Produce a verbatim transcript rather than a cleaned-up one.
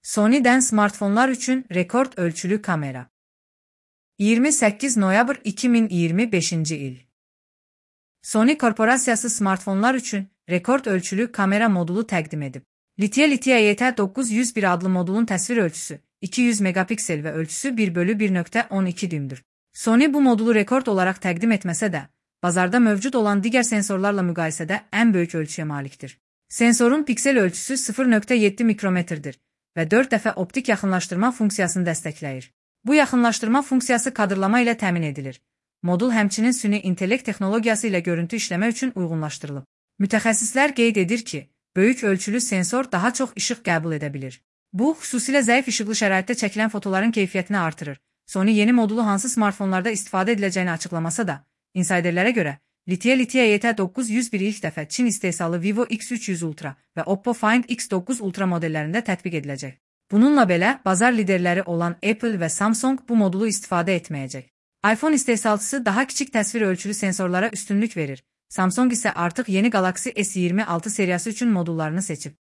Sony'den smartfonlar üçün rekord ölçülü kamera. iyirmi səkkiz noyabr iki min iyirmi beşinci il. Sony korporasiyası smartfonlar üçün rekord ölçülü kamera modulu təqdim edib. Litiya-litiya Y T dokuz yüz bir adlı modulun təsvir ölçüsü iki yüz megapiksel və ölçüsü bir bölü bir nöqtə on iki düymdür. Sony bu modulu rekord olaraq təqdim etməsə də, bazarda mövcud olan digər sensorlarla müqayisədə ən böyük ölçüyə malikdir. Sensorun piksel ölçüsü sıfır nöqtə yeddi mikrometrdir və dörd dəfə optik yaxınlaşdırma funksiyasını dəstəkləyir. Bu yaxınlaşdırma funksiyası kadrlama ilə təmin edilir. Modul həmçinin süni intellekt texnologiyası ilə görüntü işləmə üçün uyğunlaşdırılıb. Mütəxəssislər qeyd edir ki, böyük ölçülü sensor daha çox işıq qəbul edə bilir. Bu, xüsusilə zəif işıqlı şəraitdə çəkilən fotoların keyfiyyətini artırır. Sony yeni modulu hansı smartfonlarda istifadə ediləcəyini açıqlamasa da, insiderlərə görə, Litiya-litiya Y T dokuz yüz bir ilk dəfə Çin istehsalı Vivo X üç yüz Ultra və Oppo Find X dokuz Ultra modellərində tətbiq ediləcək. Bununla belə, bazar liderləri olan Apple və Samsung bu modulu istifadə etməyəcək. iPhone istehsalçısı daha kiçik təsvir ölçülü sensorlara üstünlük verir. Samsung isə artıq yeni Galaxy S iyirmi altı seriyası üçün modullarını seçib.